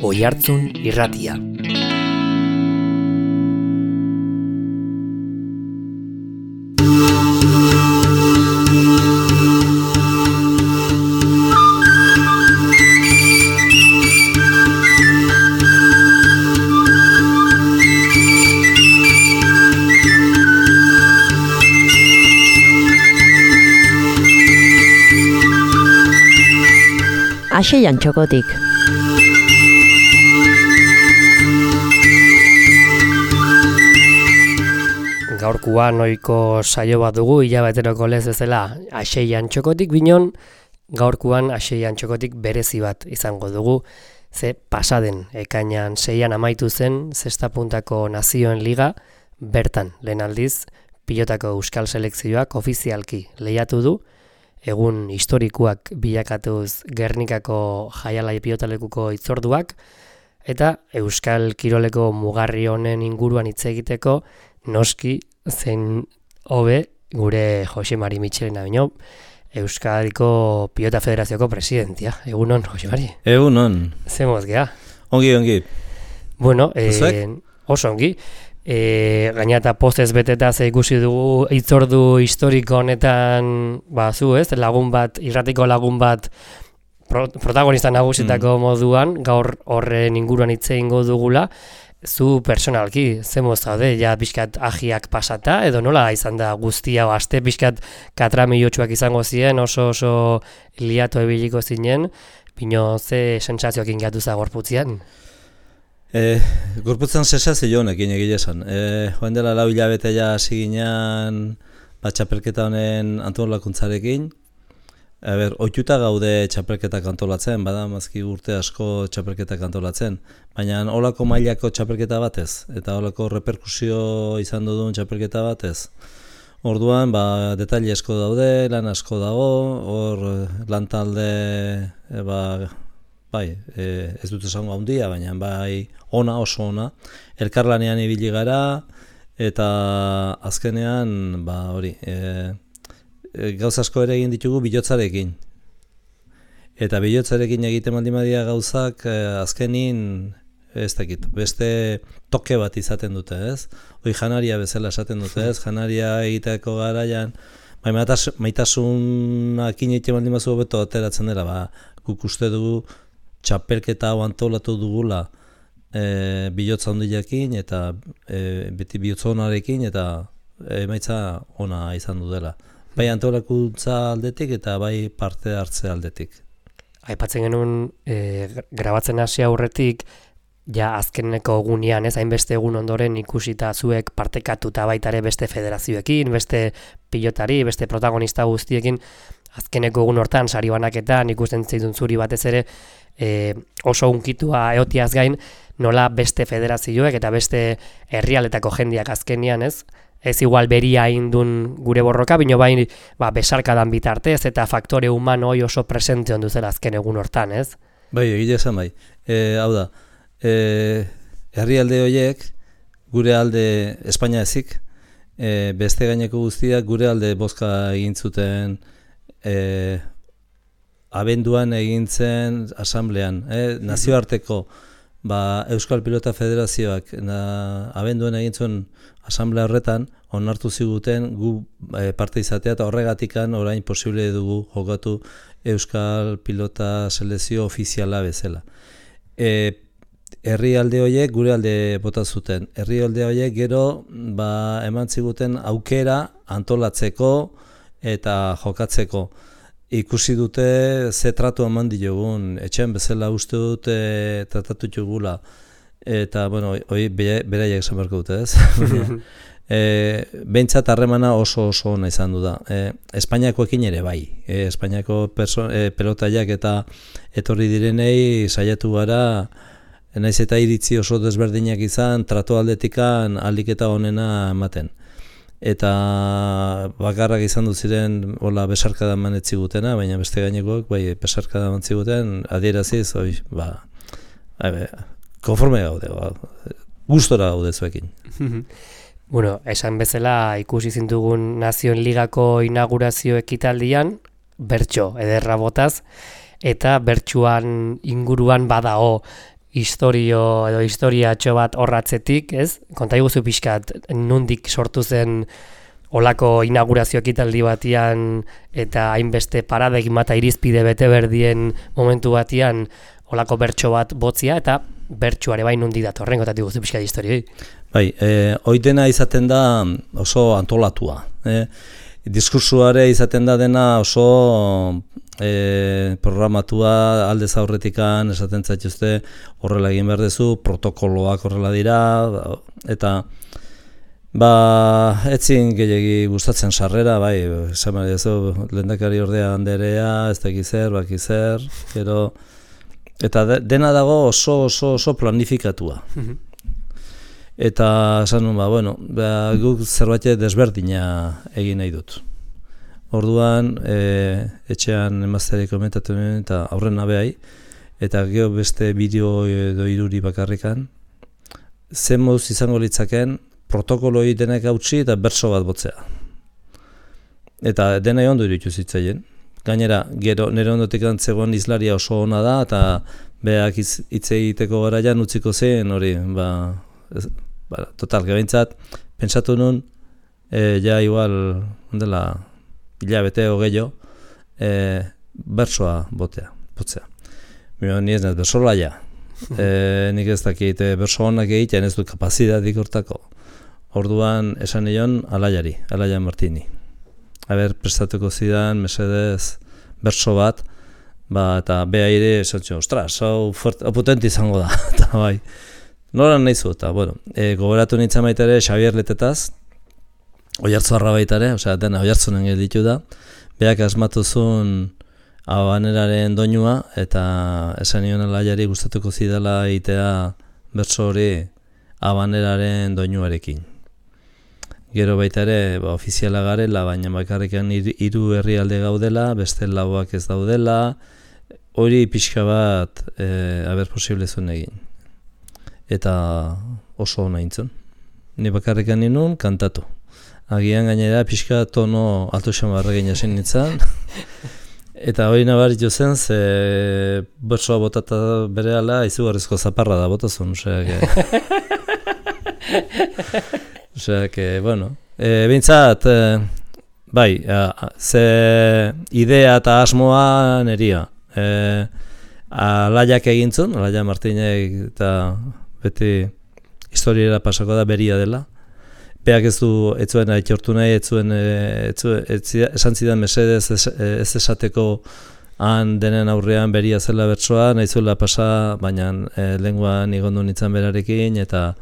Oihartzun Irratia. Aseian txokotik. Gaurkoan ohiko saio bat dugu, hilabeteroko lez bezala Aseian txokotik binon, gaurkoan Aseian txokotik berezi bat izango dugu, ze pasaden ekainan 6an amaitu zen zesta puntako nazioen liga, bertan lehen aldiz pilotako euskal selekzioak ofizialki lehiatu du, egun historikoak bilakatuz Gernikako jaialai pilotalekuko hitzorduak, eta euskal kiroleko mugarri honen inguruan hitz egiteko noski zein hobe gure Jose Mari Michelena baino, Euskadiko Pilota Federazioko presidentia. Egunon, Jose Mari? Egunon. Zemoz gea? Ongi. Bueno, oso ongi. Gaina eta postez beteta ze ikusi dugu hitzordu historiko honetan, zu ez, lagun bat, irratiko lagun bat protagonista nagusitako moduan, gaur horren inguruan hitz egingo dugula. Zu personalki, zemoz zaude, ja pixkat ahiak pasata, edo nola izan da guztia, aste pixkat katramilotxuak izango ziren, oso liatu ebiliko zinen, pino ze sentsazioak ingatu za gorputzian? Gorputzan sensazio honekin egile esan. Joan dela 4 hilabete ja hasi ginean txapelketa honen antolakuntzarekin. Ohituta gaude txapelketak antolatzen, badamazki urte asko txapelketak antolatzen, baina holako mailako txapelketa batez, eta holako reperkusio izan duen txapelketa batez. Orduan, detaile asko daude, lan asko dago, hor lan talde, ez dut esango handia, baina oso ona, elkarlanean ibili gara, eta azkenean, gauza asko ere egin ditugu bilotzarekin. Eta bilotzarekin egiten maldimadia gauzak azkenin, ez dakit, beste toke bat izaten dute, ez? Hoi janaria bezala esaten dute, ez? Janaria egiteko garaian, maitasunakin egiten maldimazu beto ateratzen dela, guk uste dugu txapelketa hau antolatu dugula bilotza hondiakin, eta beti bilotza honarekin, eta emaitza ona izan du dela. Bai antolakuntza aldetik eta bai parte hartze aldetik. Aipatzen genuen grabatzen hasi aurretik, ja azkeneko egunean, hainbeste egun ondoren ikusita zuek partekatuta baitare beste federazioekin, beste pilotari, beste protagonista guztiekin, azkeneko egun hortan sari banaketan ikusten zaitun zuri batez ere oso unkitua eotiaz gain, nola beste federazioek eta beste herrialetako jendeak azkenean, ez igual beria indun gure borroka, bino besarkadan bitartez eta faktore humano oso presente ondu zela azken egun hortan, ez? Bai, egile esan bai. Hau da, herrialde horiek, gure alde Espainia ezik, beste gaineko guztiak gure alde bozka egin zuten abenduan egintzen asamblean, nazioarteko Euskal Pilota Federazioak abenduan egin zuen asamblea horretan onartu ziguten gu parte izatea eta horregatikan orain posible dugu jokatu Euskal Pilota Selekzio ofiziala bezala. Herrialde horiek gure alde bota zuten. Herrialde horiek gero eman ziguten aukera antolatzeko eta jokatzeko. Ikusi dute ze tratu eman diogun, etxean bezala uste dute tratatu dugula. Eta, hori beraiek esan beharko dute, ez? Behintzat harremana oso ona izan du da. Espainiakoekin ere bai. Espainiako pelotaiak eta etorri direnei saiatu gara, naiz eta iritzi oso desberdinak izan, tratu aldetikan aliketa honena ematen. Eta bakarrak izan dut ziren besarkada manetzi gutena, baina beste gainekoak besarkada manetzi guten, adieraziz, konforme gaude, gustora gaude zuekin. Esan bezala ikusi zintugun Nazioen Ligako inaugurazio ekitaldian, bertso ederra botaz, eta bertsuan inguruan badao historiatxo bat horratzetik, ez? Konta iguzu pixkat, nundik sortu zen olako inaugurazio ekitaldi batian eta hainbeste paradigma eta irizpide bete berdien momentu batian olako bertso bat botzia eta bertsuare bai nundi datorren, konta iguzu pixkat historioi. Bai, oidena izaten da oso antolatua. Diskursuare izaten da dena oso programatua aldez aurretikan esaten zaituzte horrela egin behar duzu, protokoloak horrela dira, eta etzin gehiagi gustatzen sarrera, bai, esan behar duzu, lehendakari ordea Anderea, ez da bakizer, gero, eta dena dago oso planifikatua. Eta esan nuen, guk zerbait desberdina egin nahi dut. Orduan, etxean emazteari komentatu nuen eta aurren nabehai, eta gero beste bideo edo iruri bakarrikan, zen moduz izango litzaken protokoloi denek hautsi eta bertso bat botzea. Eta denai ondo iruditu zitzaien. Gainera, gero nire ondotik antzegoen izlaria oso ona da, eta beak hitz egiteko garaian utziko zen, hori, total, gebaintzat, pentsatu nun, ja igual, ondela, hilabete hogeio, bersoa botzea. Ni ez nez bersolaia. Nik ez dakit berso honak egiten ez du kapazidadik hortako. Orduan esan nion Alaia Martini. Prestatuko zidan, mesedez, berso bat, eta beha ere esatxo, ostras, hau potente izango da, eta bai. Noran nahi zu, eta, gogoratu nintzen baita ere Xabier Letetaz, Oiartzuarra baita ere, dena Oiartzunen gelditu da, beak asmatu zuen Habaneraren doinua, eta esan nion Alaiari gustatuko zidala egitea bertso hori Habaneraren doinuarekin. Gero baita ere, ofiziala garela, baina bakarrikan 3 herrialde gaudela, beste lauak ez daudela, hori pixka bat, posible zuen egin. Eta oso hona intzun. Ni bakarrikan ninun, kantatu. Agian gainera pixka tono alto xamarra ginen nintzen. Eta hori nabaritu zen, ze bertsoa botata berehala izugarrizko zaparra da botazun. Bintzat, ze idea eta asmoa neria. Alaiak egintzun, Alaia Martinek eta beti historiera pasako da beria dela. Beak ez zuen aitortu nahi, esan zidan mesedez ez esateko han denen aurrean beria zela bertsoa, nahi zuela pasa, baina lenguan igondu nintzen berarekin, eta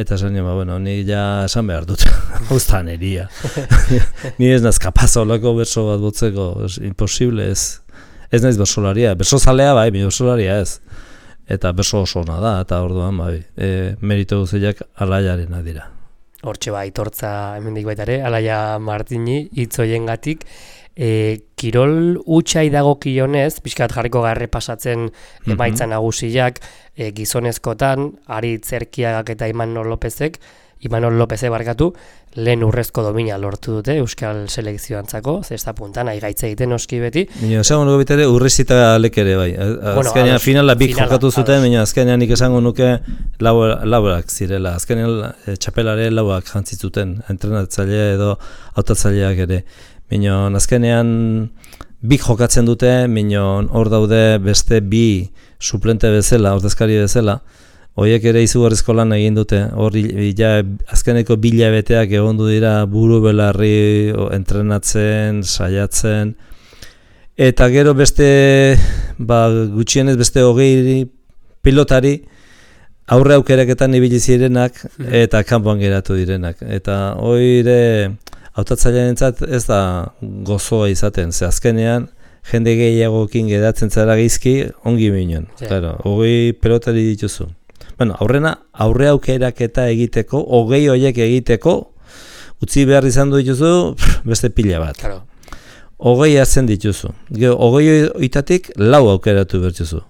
esan nio, ni ja esan behar dut, hauztan eria. Ni ez naz kapaz olako bertso bat botzeko, imposible ez. Ez naiz bersolaria, bersozalea bai, mi bersolaria ez. Eta berso oso ona da, eta orduan bai, merito guztiak Alaiarena dira. Hortxe aitortza hemendik baita ere, Alaia Martini hitz hoiengatik, kirol hutsai dagokionez, pixkat jarriko garre pasatzen emaitza nagusiak, gizonezkotan, Aritz Erkiagak eta Imanol Lopezek barkatu, lehen urrezko domina lortu dute Euskal Selekzioantzako, zesta puntan, gaitze egiten oski beti. Esango nuke bitere urrezita lekere bai. Azkenean finala bik jokatu zuten, azkenean nik esango nuke laurak zirela. Azkenean txapelare lauak jantzitzuten, entrenatzailea edo hautatzaileak ere. Azkenean bik jokatzen dute, hor daude beste bi suplente bezala, ordezkari bezala, horiek ere izugarrizko lan egin dute, hor azkeneko bilabeteak egondu dira buru belarri entrenatzen, saiatzen, eta gero beste, gutxienez beste 20 pilotari aurre aukeraketan ibili zirenak eta kanpoan geratu direnak. Eta hori hautatzailearentzat ez da gozoa izaten, ze azkenean jende gehiagokin geratzen zara gizki ongi minen. Claro, 20 pelotari dituzu. Aurre aukeraketa egiteko, 20 horiek egiteko, utzi behar izan dituzu beste pila bat. 20 hartzen dituzu. 20 horietatik 4 aukeratu bertuzu.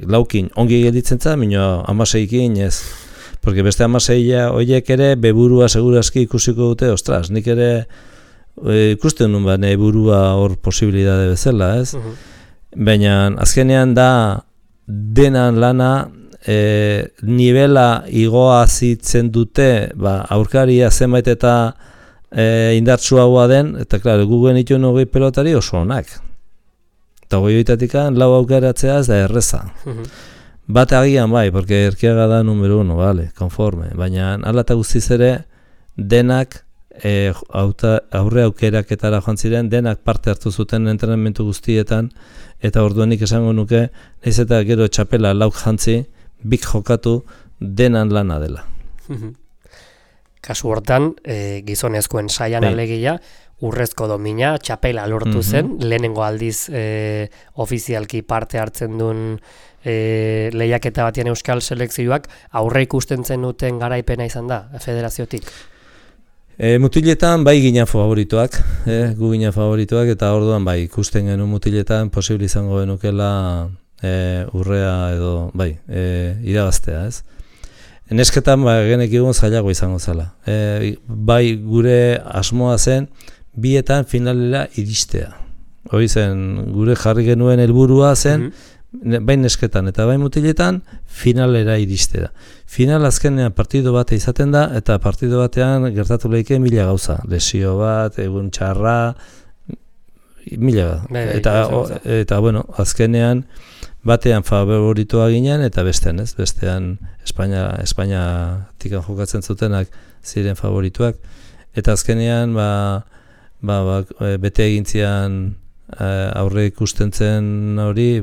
Laukin ongi gelditzen za, mino 16-kin ez. Porque beste 16 horiek ere beburua segurazki ikusiko dute, ostras, nik ere ikusten nun burua hor posibilidade bezala, ez? Baina azkenean da denan lana nivela igoa zitzen dute, aurkaria zenbait eta indartsuagoa den, eta klaro, gu genituen 20 pelotari oso onak. Eta 20 lau aukeratzea ez da erreza. Bat agian bai, porque Erkiaga da numero 1, vale, konforme, baina hala eta guztiz ere denak aurre aukeraketara joan ziren, denak parte hartu zuten entrenamendu guztietan, eta orduanik esango nuke, nahiz eta gero txapela lauk jantzi, bik jokatu denan lana dela. Kasu hortan, gizonezkoen saian alegia, urrezko domina, txapela lortu zen, lehenengo aldiz ofizialki parte hartzen duen lehiaketa batien euskal selekzioak, aurre ikusten zen duten garaipena izan da, federaziotik? Mutiletan bai ginen favorituak, gu ginen favorituak, eta orduan bai ikusten genuen mutiletan posible izango genukela urrea edo bai, irabaztea, ez? Nesketan genekigun zailago izango zela. Bai gure asmoa zen bietan finalera iristea. Hori zen, gure jarri genuen helburua zen, bai nesketan eta bai mutiletan finalera iristea. Final azkenean partido bat izaten da, eta partido batean gertatu lehike 1000 gauza. Lesio bat, egun txarra, 1000. Eta bueno, azkenean batean favoritoa ginen, eta bestean, ez? Bestean Espainiatik jokatzen zutenak ziren favorituak. Eta azkenean, bete egintzian aurre ikusten zen hori,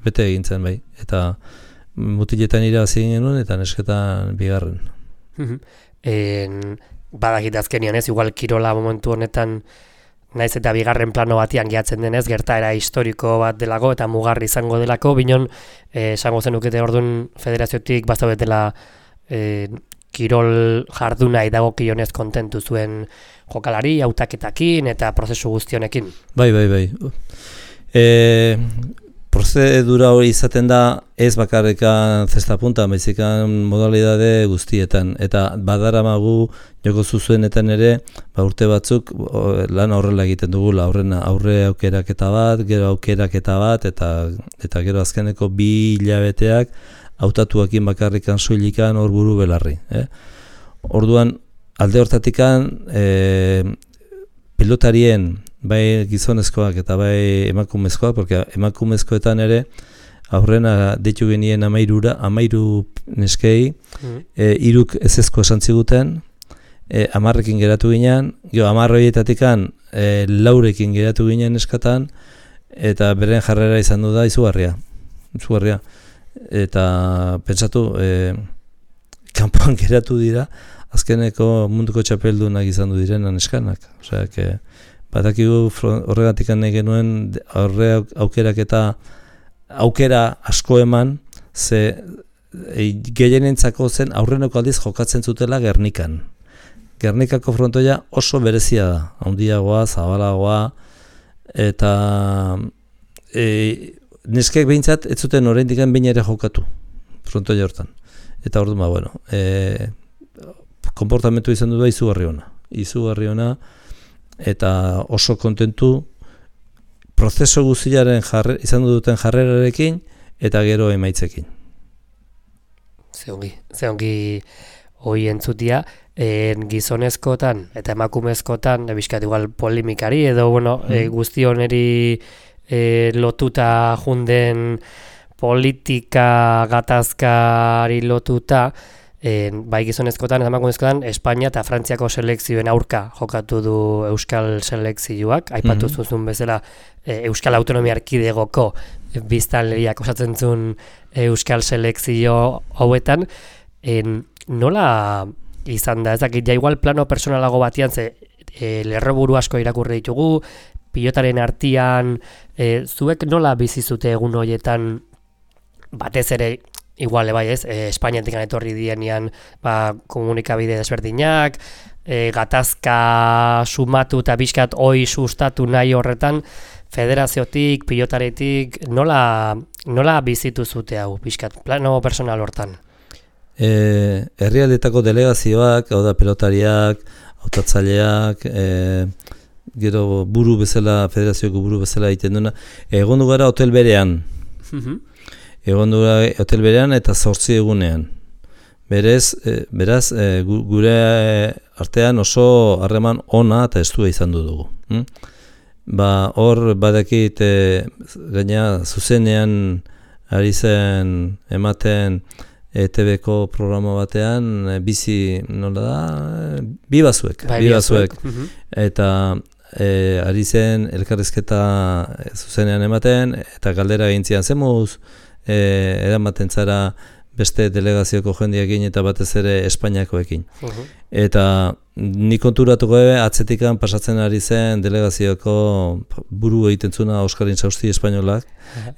bete egintzen bai. Eta mutiletan irabazi genuen eta nesketan bigarren. Badakit azkenean ez, igual kirola momentu honetan naiz eta bigarren plano batian gehatzen denez, gertaera historiko bat delako eta mugarri izango delako, binon esango zenukete orduan federaziotik bazaudetela kirol jarduna idagokionez kontentu zuen jokalari, hautaketakin eta prozesu guztionekin. Bai. Prozedura hori izaten da ez bakarrekan zestapunta, baizikan modalidade guztietan. Eta badaramagu joko zuzuenetan ere, urte batzuk lan horrela egiten dugula, aurre aukeraketa bat, gero aukeraketa bat, eta gero azkeneko 2 hilabeteak hautatuakin bakarrikan soilikan hor buru belarri. Orduan, alde hortatikan pilotarien, bai gizonezkoak eta bai emakumezkoak, porque emakumezkoetan ere aurrena deitu genien 13 neskei, 3 ezezko esan ziguten, 10ekin geratu ginen, 10 horietatikan 4ekin geratu ginen neskatan, eta beren jarrera izan du da izugarria. Eta pentsatu, kanpoan geratu dira, azkeneko munduko txapeldunak izan du direnan neskanak. Osea, badakigu horregatik nahi genuen aurre aukerak eta aukera asko eman, ze gehienentzako zen aurreneko aldiz jokatzen zutela Gernikan. Gernikako frontoia oso berezia da, handiagoa, zabalagoa, eta neskek behintzat ez zuten oraindik behin ere jokatu frontoia hortan. Eta orduan, konportamentu izan du da izugarri ona, eta oso kontentu prozeso guztiaren izan duten jarrerarekin eta gero emaitzekin. Zeongi hoi entzutia, gizonezkotan eta emakumezkotan, bizkat igual polemikari edo guzti honeri lotuta junden politika gatazkari lotuta, bai gizonezkotan eta emakumezkotan Espainia eta Frantziako selekzioen aurka jokatu du euskal selekzioak, aipatu zuzun bezala Euskal Autonomia Erkidegoko biztanleriak osatzen zuen euskal selekzio hauetan, nola izan da, ez dakit, ja igual plano personalago batian, ze lerroburu asko irakurri ditugu, pilotaren artean, zuek nola bizizute egun horietan, batez ere, igual, bai ez, Espainiatik etorri dienean komunikabide desberdinak, gatazka sumatu eta bizkat hoi sustatu nahi horretan, federaziotik, pilotaretik, nola bizitu zute hau, bizkat, plano personal hortan? Herrialdetako delegazioak, hau da pelotariak, hautatzaileak, gero buru bezala, federazioko buru bezala egiten duena, egon du gara hotel berean. egon dura hotel berean eta 8 egunean. Beraz, gure artean oso harreman ona eta estua izan dugu. Hor badakit gaina zuzenean ari zen ematen ETV-ko programa batean bizi nola da, bi bazuek. Eta ari zen elkarrizketa zuzenean ematen eta galdera egintzian zemuz eramaten zara beste delegazioko jendeekin eta batez ere Espainiakoekin. Eta nik konturatuko atzetikan pasatzen ari zen delegazioko buru egiten zuna Oskar Intzausti espainolak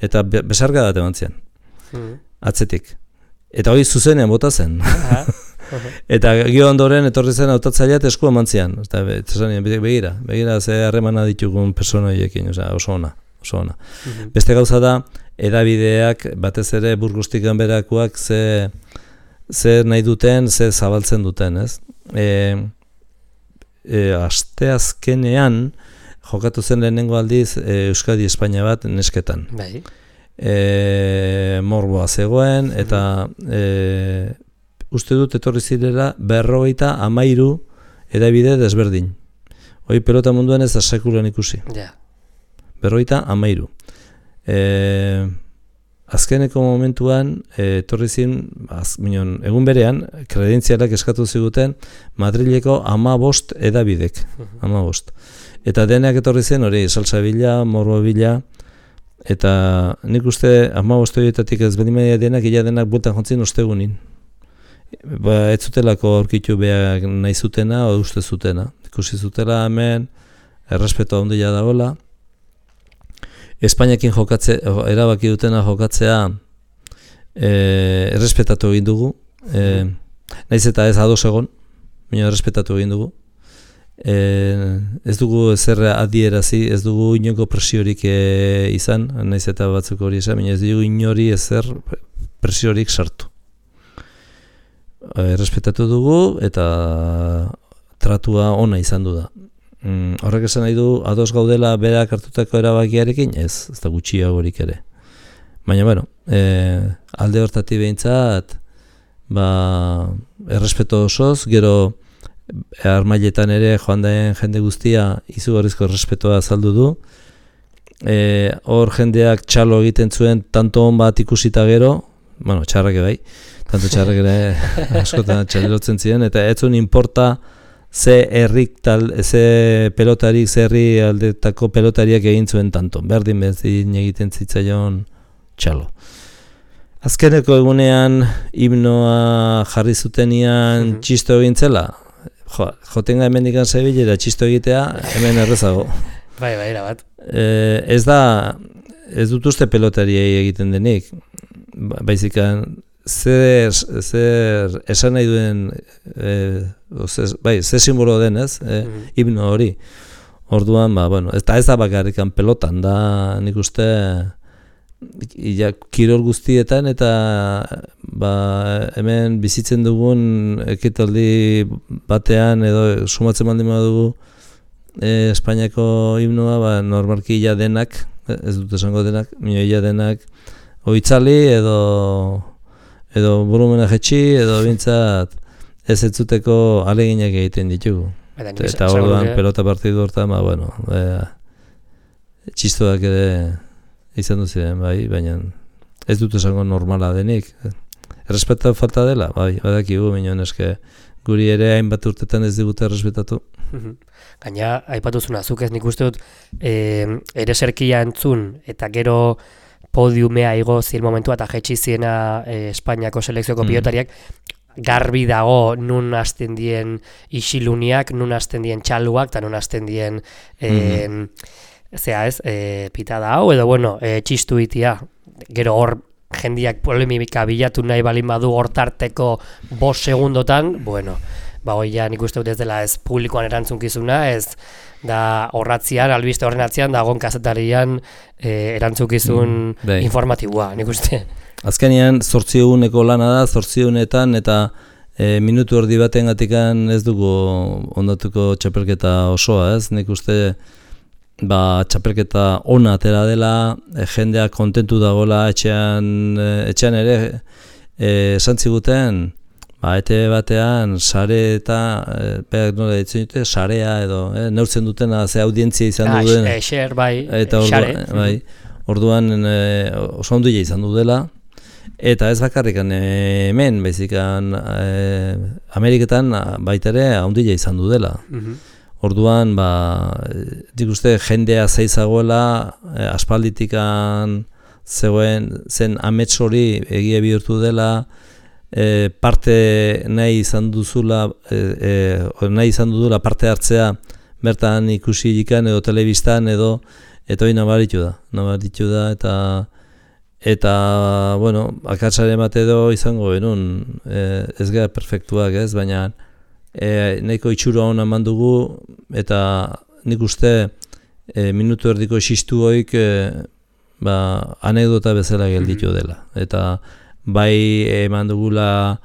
eta besarka dat eman zian. Atzetik. Eta hori zuzenean bota zen. Eta gio ondoren etorri zen hautatzailea esku eman zian. Eta begira ze harremana ditugun persona horiekin, oso ona. Beste gauza da, edabideak batez ere Burgostik ganberakoak zer nahi duten, zer zabaltzen duten, ez? Asteazkenean jokatu zen lehenengo aldiz Euskadi Espainia bat nesketan. Morboa zegoen eta uste dut etorri zirela 53 edabide desberdin. Hoi pelota munduan ez da sekulan ikusi. 53. Azkeneko momentuan etorri zin, egun berean, kredentzialak eskatu ziguten Madrileko 15 edabidek. 15. Eta denak etorri zen hori, Salsabila, Morbobila, eta nik uste 15 horietatik ez bedimedia denak, ila denak bueltan jontzin ostegunin. Ez zutelako aurkitu behar nahi zutena, o uste zutena. Ikusi zutela hemen, errespeto handia dagoela. Espainiakin erabaki dutena jokatzea errespetatu egin dugu. Naiz eta ez ados egon, baina errespetatu egin dugu. Ez dugu ezer adierazi, ez dugu inoko presiorik izan, naiz eta batzuk hori esan, baina ez dugu inori ezer presiorik sartu. Errespetatu dugu eta tratua ona izan du da. Horrek esan nahi du, ados gaudela berak hartutako erabakiarekin? Ez da gutxiagorik ere. Baina, alde hortatik behintzat, errespeto osoz, gero armailetan ere joan den jende guztia izugarrizko errespetoa azaldu du. Hor jendeak txalo egiten zuen tanto on bat ikusita gero, txarrak bai, tanto txarrak ere askotan txalerotzen ziren, eta ez zuen inporta ze pelotarik, ze herri aldetako pelotariak egin zuen tanto. Berdin bezin egiten zitzaion txalo. Azkeneko egunean himnoa jarri zutenian txisto egin zela. Jotenga hemen ikan Sevillara txisto egitea, hemen errezago. Bai, erabat. Ez dut uste pelotariei egiten denik. Baizikan, zer esan nahi duen, zer simbolo den ez, himno hori. Orduan, eta ez da bakarrikan pelotan, da nik uste kirol guztietan eta hemen bizitzen dugun ekitaldi batean edo sumatzen baldin badugu Espainiako himnoa, normalki ja denak, ez dut esango denak, ja denak oitzali edo volumena jetxi, edo bintzat ez entzuteko aleginak egiten ditugu. Eta orduan pelota partidu hortan, txistoak ere izan duziren, baina ez dut esango normala denik. Errespeta falta dela, badakigu, minon eske guri ere hainbat urtetan ez digute errespetatu. Gaina, aipatuzuna, zuk ez nik uste dut ere serkia entzun eta gero podiumea igo ziren momentua eta jetxi ziena Espainiako selekzioko pilotariak, garbi dago nun hasten dien isiluniak, nun hasten dien txaluak eta nun hasten dien pitada hau edo txistu itia. Gero hor jendiak polemika bilatu nahi balin badu hortarteko 5 segundotan, hoia nik uste dut ez dela ez publikoan erantzunkizuna, ez da horratzian, albiste horren atzian, da gon kazetarian erantzukizun informatiboa, nik uste. Azkenean, 8 eguneko lana da, 8 egunetan, eta minutu erdi baten gatikan ez dugu ondatuko txapelketa osoa, ez? Nik uste txapelketa ona atera dela, jendea kontentu dagoela etxean ere esan ziguten, ETV batean sare eta nola ditzen dute, sarea edo neurtzen dutena ze audientzia izan duen. Share, bai, eta orduan oso handia izan du dela. Eta ez bakarrik hemen, baizikan Ameriketan baita ere handia izan du dela. Orduan, dik uste jendea zeizagoela, aspalditikan zen amets hori egia bihurtu dela, parte nahi izan duzula parte hartzea bertan ikusi ikan edo telebistan edo hori nabaritu da eta bueno, akatsaren bat edo izango benun ez gara perfektuak ez, baina nahiko itxura hona eman dugu eta nik uste minutu erdiko xistu hoik anekdota bezala gelditu dela eta bai eman dugula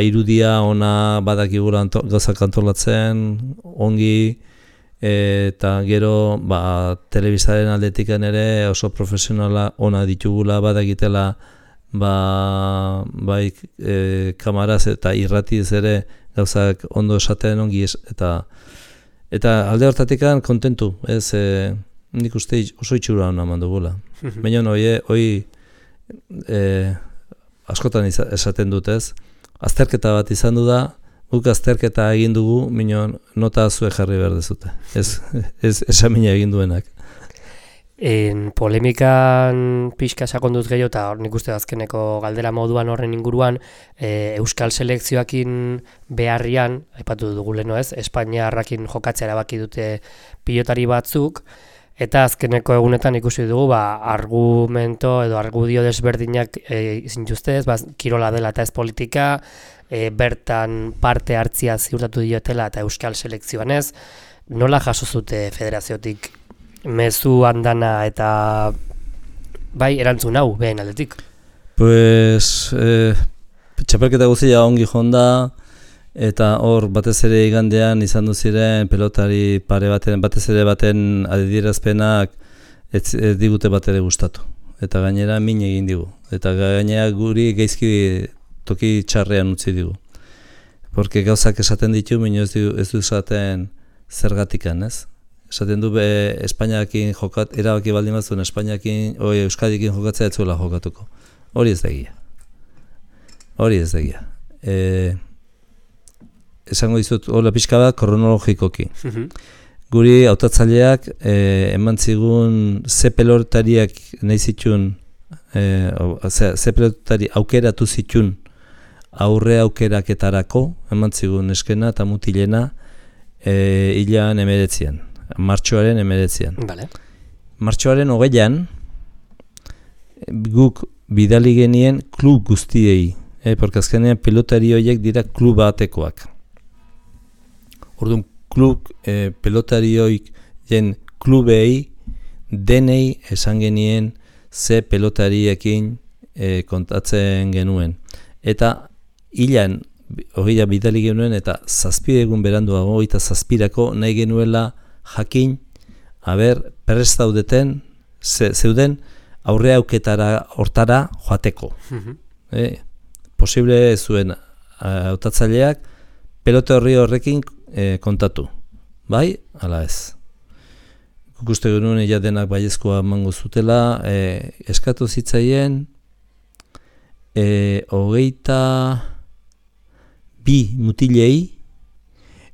irudia ona badakigula gauzak antolatzen ongi eta gero telebistaren aldetikan ere oso profesionala ona ditugula badakitela bai kamaraz eta irratiz ere gauzak ondo esaten ongi eta alde hortatikan kontentu ez nik uste oso itxura ona eman dugula baina hoi askotan esaten dut ez, azterketa bat izan du da, guk azterketa egin dugu, minon nota zue jarri behar dezute, ez esamina egin duenak. Polemikan pixka sakonduz gehiago eta nik uste azkeneko galdera moduan horren inguruan Euskal selekzioakin beharrian, aipatu dugu leno ez, Espainiarrakin jokatzea erabaki dute pilotari batzuk, eta azkeneko egunetan ikusi dugu argumento edo argudio desberdinak zintuzte ez, kirola dela eta ez politika, bertan parte hartzia ziurtatu diotela eta Euskal selekzioan ez, nola jaso zute federaziotik mezu andana eta bai erantzun hau behen aldetik? Pues txapelketa guztia ongi jonda eta hor batez ere igandean izan ziren pelotari pare baten, batez ere baten adierazpenak ez digute bat ere gustatu. Eta gainera min egin digu. Eta gainera guri geizki toki txarrean utzi digu. Porque gauzak esaten ditu, minio ez du esaten zergatikan, ez? Esaten du Espainiakin erabaki baldin batzuen Euskadikin jokatzea ez zuela jokatuko. Hori ez da egia. Esango dizut, hola pixka bat, kronologikoki. Guri hautatzaileak eman zigun ze pelotariak nahi zitun, ze pelotari aukeratu zitun aurre aukeraketarako, eman zigun eskena eta mutilena hilan 19, martxoaren 19. Vale. Martxoaren 20 guk bidali genien klub guztiei, porque azkenean pelotari horiek dira klub batekoak. Orduan, pelotarioik klubei denei esan genien ze pelotariekin kontatzen genuen. Eta hilan hogeia bidali genuen eta 7 egun beranduago, 27 nahi genuela jakin, prest daudeten, zeuden aurre auketara hortara joateko. Posible zuen hautatzaileak pelote horrekin kontatu. Bai, ala ez. Guste genuen ja denak baiezkoa emango zutela, eskatu zitzaien 22 mutilei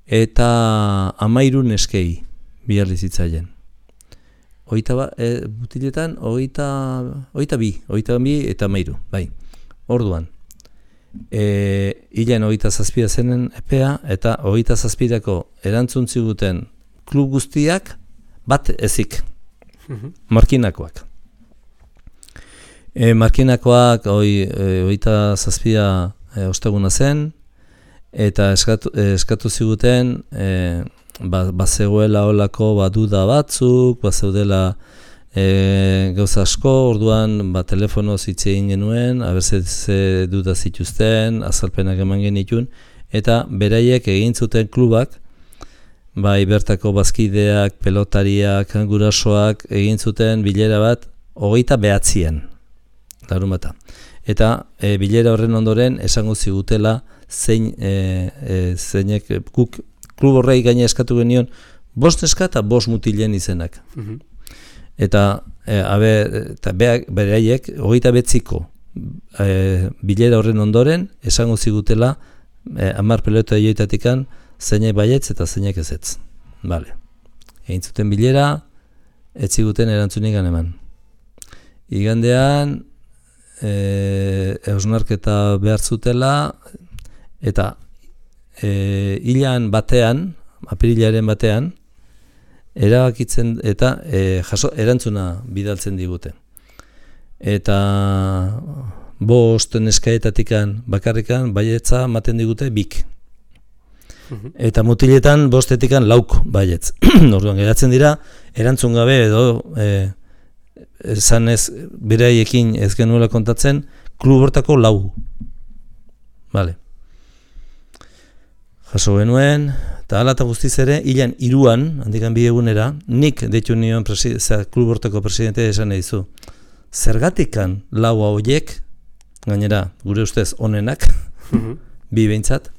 eta 13 neskei bidali zitzaien. Mutiletan 22 eta 13, bai. Orduan, hilan 27 zenen epea eta 27ko erantzun ziguten klub guztiak bat ezik. Markinakoak. Markinakoak 27 osteguna zen eta eskatu ziguten bazegoela olako baduda batzuk, bazeudela gauza asko, orduan telefonoz hitz egin genuen, ze duda zituzten, azalpenak eman genitun, eta beraiek egin zuten klubak bai bertako bazkideak, pelotariak, gurasoak egin zuten bilera bat 29an, larunbata. Eta bilera horren ondoren esango zigutela zeinek guk klub horrei gaina eskatu genion 5 neska eta 5 mutilen izenak. Eta beraiek 29ko bilera horren ondoren esango zigutela 10 pelota joitatikan zeinek baietz eta zeinek ezetz. Vale. Egin zuten bilera, ez ziguten erantzunik eman. Igandean hausnarketa behar zutela eta hilan batean, apirilaren batean, erabakitzen eta erantzuna bidaltzen digute. Eta 5 neskaetatikan bakarrikan baietza ematen digute 2. Eta mutiletan 5etikan 4 baietz. Orduan geratzen dira erantzun gabe edo esan ez beraiekin ez genuela kontatzen klub hortako 4. Vale. Jaso genuen, eta hala eta guztiz ere, hilan 3an, handikan 2 egunera, nik deitu nion klub hortako presidente esan dizu. Zergatikan 4 horiek, gainera, gure ustez onenak, 2 behintzat,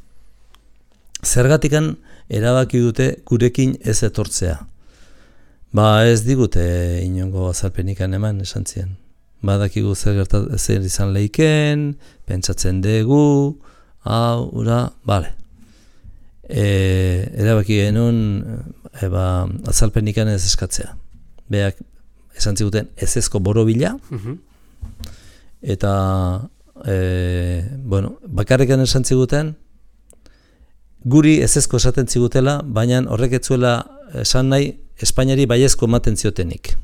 zergatikan erabaki dute gurekin ez etortzea. Ba ez digute inongo azalpenikan eman esan zien. Badakigu zer izan leiken, pentsatzen dugu, hau, ura, bale. Erabaki genuen azalpenikan ez eskatzea. Beak esan ziguten ezezko borobila, eta bakarrikan esan ziguten, guri ezezko esaten zigutela, baina horrek ez zuela esan nahi Espainiari baiezko ematen ziotenik.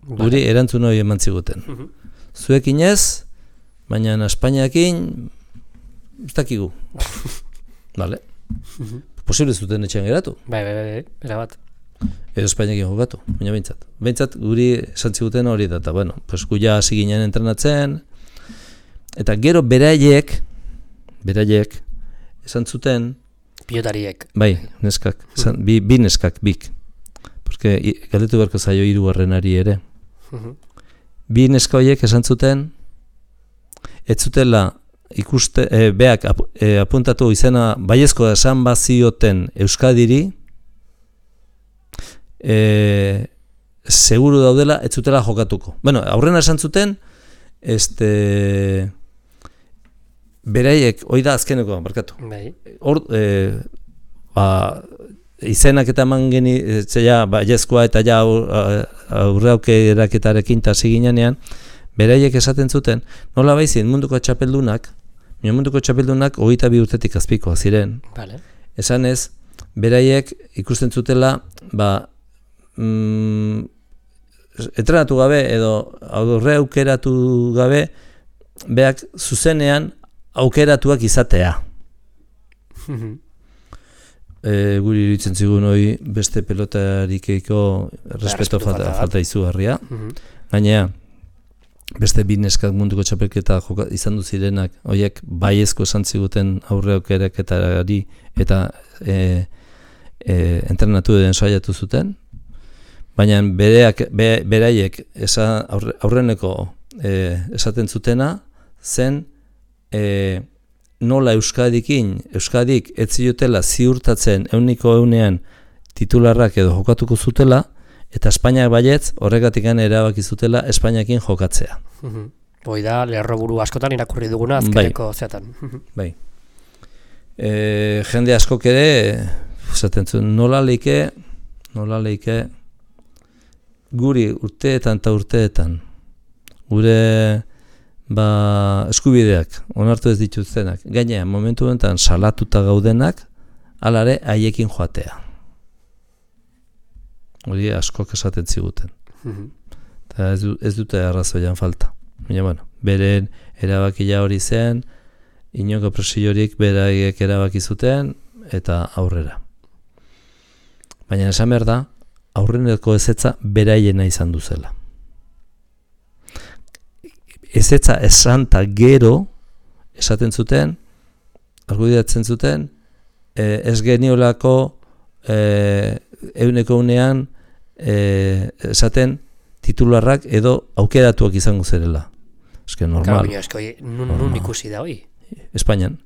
Guri erantzun hori eman ziguten. Zuekin ez, baina Espainiakin ez dakigu. Vale. Posible zuten etxean geratu. Bai, erabat. Edo Espainiakin jokatu, baina behintzat. Behintzat guri esan ziguten hori da, eta bueno, pues guia hasi ginen entrenatzen, eta gero beraiek esan zuten pilotariek. Bai, neskak, bi neskak, bik. Porque galdetu beharko zaio 3. ere. Bi neska horiek esan zuten ez zutela ikuste, beak apuntatu izena baiezkoa esan bazioten Euskadiri, seguru daudela ez zutela jokatuko. Bueno, aurrena esan zuten, beraiek, hoi da azkeneko, barkatu. Bai. Hor, izenak eta eman geni, baiezkoa eta ja aurreaukeraketarekin tasi ginean, beraiek esaten zuten, nola baizien munduko txapeldunak 22 urtetik azpikoa ziren. Vale. Esan ez, beraiek ikusten zutela, entrenatu gabe edo aurreaukeratu gabe, beak zuzenean aukeratuak izatea. Guri iritzen zigun hori beste pelotarikeiko respeto falta izugarria. Gainera, beste 2 neskak munduko txapelketa izan du zirenak, horiek baiezko esan ziguten aurreaukeraketari eta entrenatu den saiatu zuten. Baina beraiek aurreneko esaten zutena zen nola Euskadik ez ziotela ziurtatzen 100% titularrak edo jokatuko zutela, eta Espainiak baietz horregatikan erabaki zutela Espainiakin jokatzea. Hoi da, lerroburu askotan irakurri duguna azkeneko zeatan. Bai. Jende askok ere esaten zuen nola leike guri urteetan gure eskubideak onartu ez dituztenak, gainera momentu honetan salatuta gaudenak, alare haiekin joatea. Hori askok esaten ziguten. Eta ez dute arrazoian falta. Baina, bueno, beren erabakia hori zen, inongo presiorik beraiek erabaki zuten, eta aurrera. Baina esan behar da, aurreneko ezetza beraiena izan duzela. Ezetza esan eta gero esaten zuten, argudiatzen zuten, ez geniolako euneko unean esaten titularrak edo aukeratuak izango zerela. Eske normal. Nun ikusi da hoi? Espainian.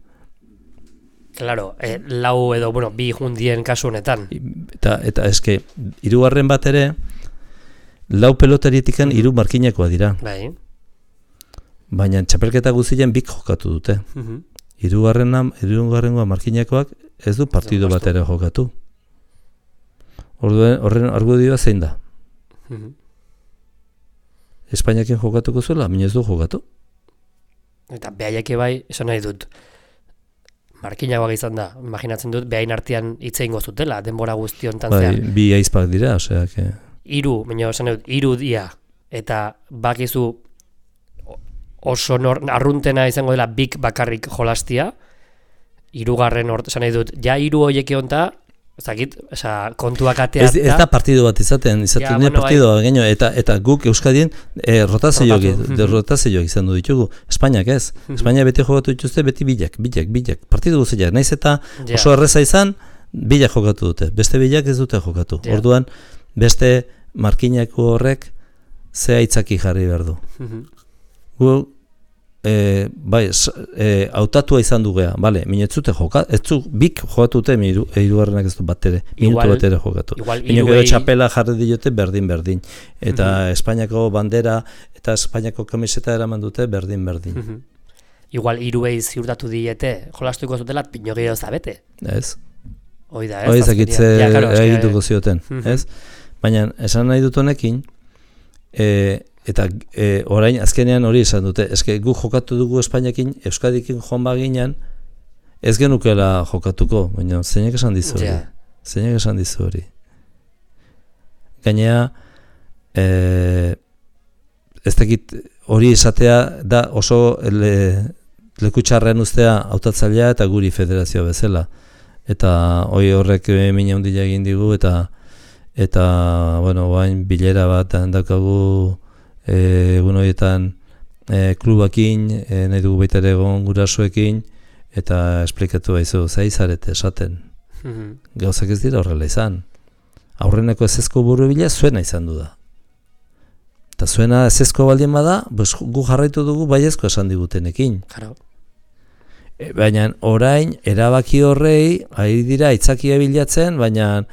Claro, lau edo, bi jundien kasu honetan. Eta eske, hirugarren bat ere, lau pelotarietik 3 markinakoa dira. Bai. Baina txapelketa guztien 2 jokatu dute. Hirugarrengoa markinakoak ez du partido bat ere jokatu. Horren argudioa zein da? Espainiakin jokatuko zuela, minez du jokatu. Eta behaiak bai, esan nahi dut, markinagoak izan da, imaginatzen dut, behain artean hitz egingo zutela, denbora guztiontan zehar. Bai, 2 aizpak dira, osea, que... 3, baina esan nahi dut, 3 dia, eta bakizu oso arruntena izango dela bik bakarrik jolastia, 3. esan nahi dut, ja 3 horiek egonta, ezakit, kontuak atea... Ez da partido bat izaten partido gehiago, eta guk Euskadien rotazioak izan du ditugu. Espainiak ez. Espainia beti jokatu dituzte, beti bilak. Partido guztiak. Naiz eta oso erreza izan, bilak jokatu dute. Beste bilak ez dute jokatu. Orduan, beste markinako horrek ze aitzaki jarri behar du. Gu, hautatua izan du gea, bale, minetzute jokatu, ez zu bik jokatu dute, hirugarrenak ez du bat ere, minutu bat ere jokatu. Ino txapela jarri diote berdin. Eta Espainiako bandera eta Espainiako kamiseta eraman dute berdin. Igual 3 ziurtatu diete, jolastuko zutela, pino gehiago zabete. Ez. Hoi da, ez? Hoi zakitze egituko zioten, ez? Baina, esan nahi dut honekin, eta orain azkenean hori izan dute, eske gu jokatu dugu Espainiakin, Euskadikin joan baginan, ez genukela jokatuko, baina zeinek esan dizu hori. Zeinek esan dizu hori. Gainea, ez dakit hori izatea da oso lekutxarrean ustea hautatzailea eta guri federazioa bezala. Eta hori horrek mina handia egin digu, eta bueno, bain bilera bat daukagu egun horietan klubakin, nahi dugu baita ere egon gurasoekin, eta esplikatu baizu, zaizarete esaten. Gauzak ez dira horrela izan. Aurreneko ezezko buru bila zuena izan du da. Eta zuena ezezko baldien bada, gu jarraitu dugu baiezko esan digutenekin. Baina orain, erabaki horrei, ari dira aitzakia bilatzen, baina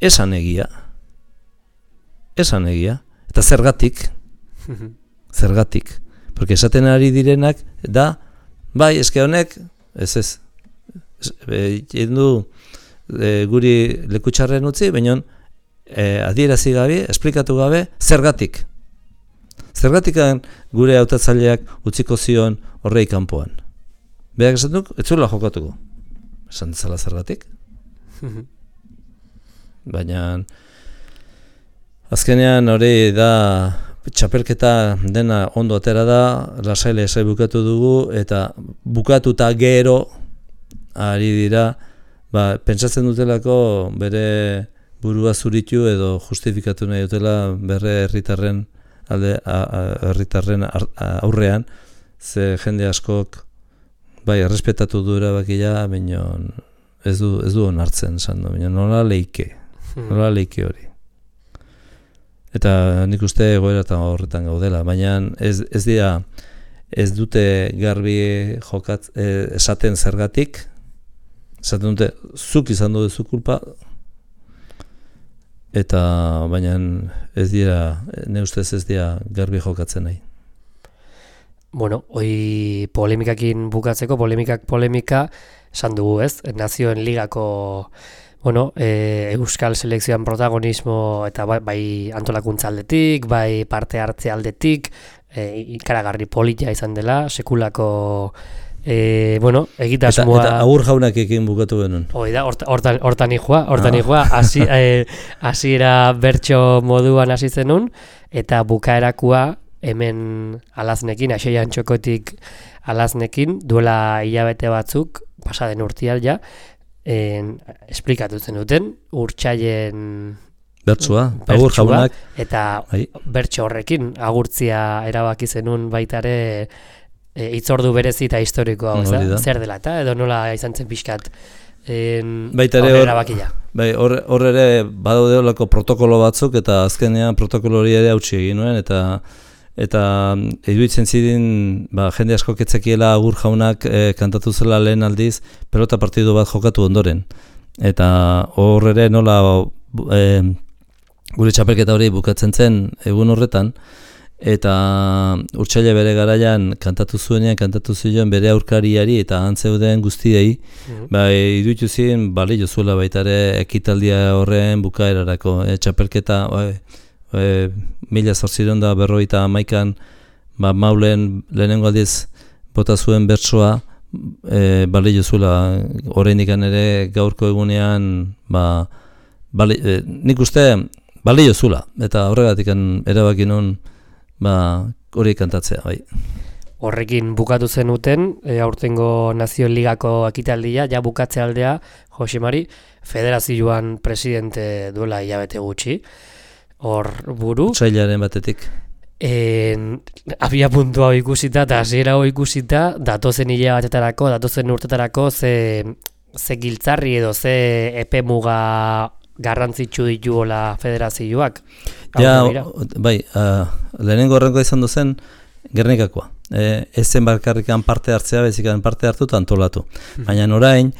esan egia. Eta zergatik, porque esaten ari direnak da, bai, eske honek, ez, du guri lekutxarren utzi, baina adierazi gabe, esplikatu gabe, zergatik. Zergatikan gure hautatzaileak utziko zion horrei kanpoan. Berak esan duk, ez zuela jokatuko. Esan dezala zergatik. Baina... Azkenean hori da txapelketa dena ondo atera da, lasaile esai bukatu dugu, eta bukatuta gero ari dira, pentsatzen dutelako bere burua zuritu edo justifikatu nahi dutela bere herritarren aurrean, ze jende askok errespetatu du erabakia, baina ez du onartzen, baina nola leike hori. Eta nik uste egoeratan horretan gaudela, baina ez dute garbi esaten zergatik, esaten dute zuk izan duzu kulpa, eta baina ez dira, ne ustez ez dira garbi jokatzen nahi. Bueno, hoi polemikakin bukatzeko, polemika, esan dugu ez, Nazioen Ligako Euskal Selekzioan protagonismo eta bai antolakuntza aldetik, bai parte hartze aldetik, ikaragarri politia izan dela, sekulako egitasmoa... Eta agur jaunak ekin bukatu genuen. Hoi da, hortan nihua, hasiera bertso moduan hasi zenun, eta bukaerakua hemen alaznekin, Axeian Txokotik alaznekin, duela hilabete batzuk, pasaden urtial ja, esplikatu zen duten, urtsaien bertsua, agur jaunak, eta bertso horrekin agurtzia erabaki zenun baitare hitzordu berezi eta historikoa, zer dela, eta edo nola izan zen pixkat baita ere erabakia. Bai, hor ere badaude olako protokolo batzuk eta azkenean protokolo hori ere hautsi egin nuen eta iruditzen ziren jende asko ketzekiela Agur jaunak kantatu zela lehen aldiz pelota partidu bat jokatu ondoren. Eta hor ere nola gure txapelketa hori bukatzen zen egun horretan, eta Urtsaila bere garaian kantatu zion bere aurkariari eta antzeuden guztiei, iruditu ziren balio zuela baita ere ekitaldia horren bukaerarako. Txapelketa 1851an Maulen lehenengo aldiz bota zuen bertsoa, balio zuela oraindik ere gaurko egunean nik uste balio zuela, eta horregatik erabaki nun hori kantatzea, bai. Horrekin bukatu zenuten, aurtengo Nazio Ligako ekitaldia, ja bukatze aldea, Jose Mari, federazioan presidente duela hilabete gutxi, hor buru. Otsailaren batetik. Abia puntua ikusita eta hasiera ikusita, datozen hilabetetarako, datozen urtetarako ze giltzarri edo ze epe muga garrantzitsu dituola federazioak. Ja, bai, lehenengo horrengo izan duzen Gernikakoa. Ez zen bakarrikan parte hartzea, bezikan parte hartu eta antolatu. Baina orain,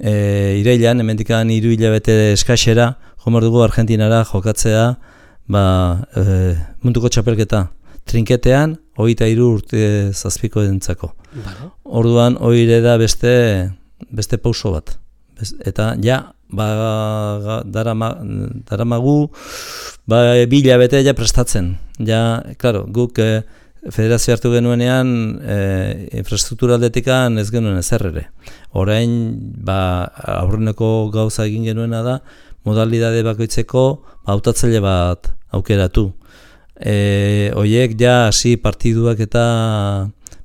irailan, hemendikan 3 hilabete eskaxera, jomar dugu Argentinara jokatzea, munduko txapelketa trinketean, 23 urte zazpiko entzako. Orduan, hori da beste pauso bat. Eta ja, daramagu 2 hilabete ja prestatzen. Ja, klaro, guk federazio hartu genuenean infrastruktura aldetikan ez genuen ezer ere. Orain, aurreneko gauza egin genuena da, modalidade bakoitzeko hautatzaile bat aukeratu. Hoiek ja hasi partiduak eta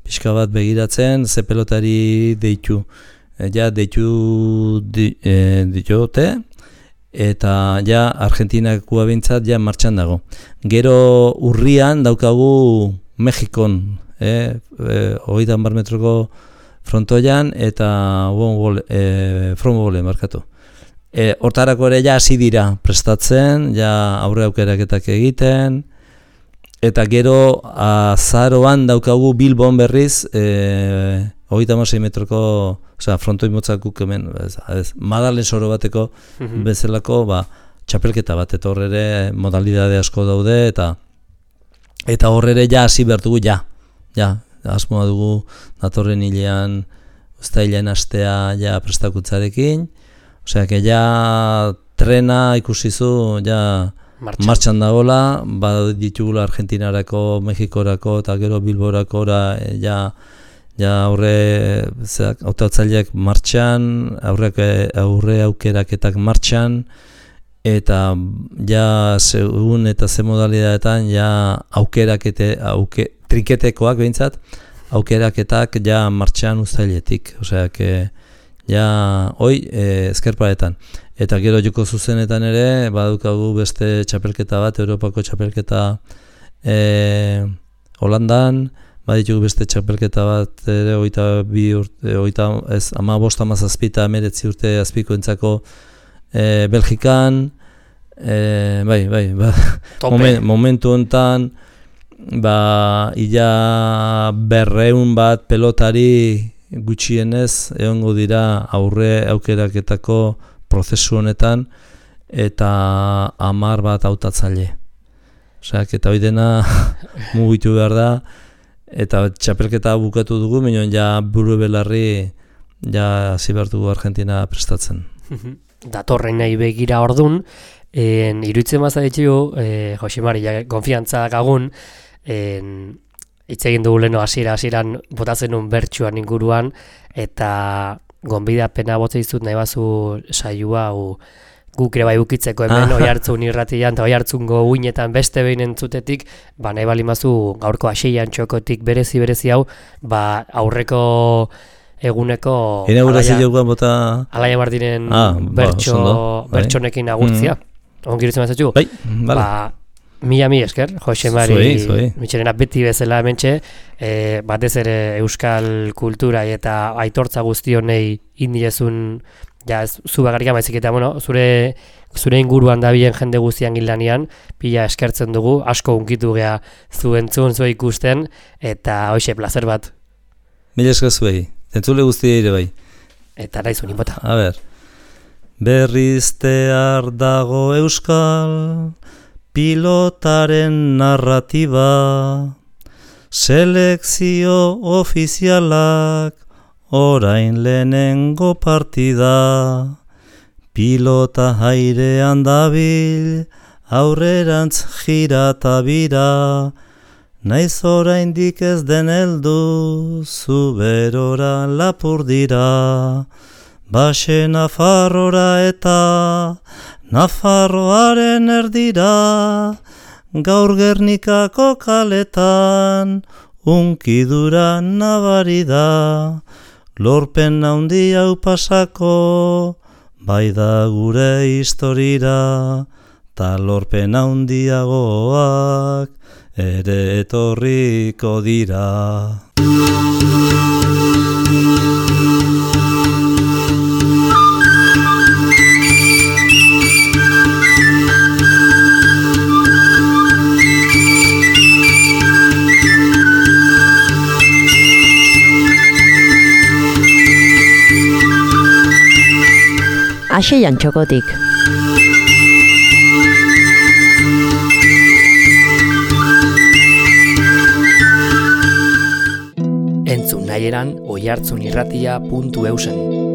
pixka bat begiratzen, ze pelotari deitu. Ja deitu diote, eta ja Argentinakua bintzat ja martxan dago. Gero urrian daukagu Mexikon, 30 metroko frontoian eta frontbole markatu. Hortarako ere ja hasi dira prestatzen, ja aurre aukeraketak egiten, eta gero azaroan daukagu Bilbon berriz 36 metroko, frontoi motzakuk hemen, Madalen soro bateko bezalako txapelketa bat, eta horre ere modalidade asko daude, eta horre ere ja hasi behar dugu, asmoa dugu datorren hilean, uztailean astea ja prestakuntzarekin, osea, que ja trena ikusizu, ja martxan dagoela, ditugula Argentinarako, Mexikorako eta gero Bilborako ja aurre hautatzaileak martxan, aurre aukeraketak martxan, eta ja segun eta ze modalidadetan ja trinketekoak behintzat, aukeraketak ja martxan uztailetik, osea, que ja hoi ezkerparetan. Eta gero joko zuzenetan ere, badukagu beste txapelketa bat, Europako txapelketa Holandan, baditugu beste txapelketa bat ere 22 urte, 15-17 urte azpiko entzako Belgikan, momentu honetan, ila 200 bat pelotari gutxienez egongo dira aurre aukeraketako prozesu honetan, eta 10 bat hautatzaile. Osea, eta hori dena mugitu behar da, eta txapelketa bukatu dugu, minon ja buru belarri ja hasi behar dugu Argentina prestatzen. Datorren nahi begira ordun, iruditzen bazaitu, Jose Mari, konfiantza gagun, hitz egin dugu leno hasieran botatzen un bertsuan inguruan, eta gonbidapena botza dizut nahi bazu saioa guk ere bai bukitzeko hemen Oiartzun irratian eta Oiartzungo uinetan beste behin entzutetik, nahi balimazu gaurko Aseian txokotik berezi hau, aurreko eguneko Alaia Martinen bertsonekin agurtzia. Ongirutzen bazatxu? Mila esker, Jose Mari Mitxelena beti bezala hementxe, batez ere euskal kultura eta aitortza guztionei indiezun ja ez zu bakarrik baizik eta zure inguruan dabilen jende guztian gildanean, pila eskertzen dugu, asko hunkitu gea zu entzun, zu ikusten, eta hoxe, plazer bat. Mila esker zuei, entzule guztia ere bai. Eta naizu nipota. A ber, berriztear dago euskal pilotaren narratiba, selekzio ofizialak orain lehenengo partida, pilota airean dabil, aurrerantz jirata bira, naiz oraindik ez den heldu, zuberora lapur dira, base Nafarrora eta Nafarroaren erdira, gaur Gernikako kaletan, unkidura nabari da, lorpen handi hau pasako, bai da gure historira, ta lorpen handiagoak ere etorriko dira. Axeian txokotik. Entzun nahieran oihartzunirratia.eusen.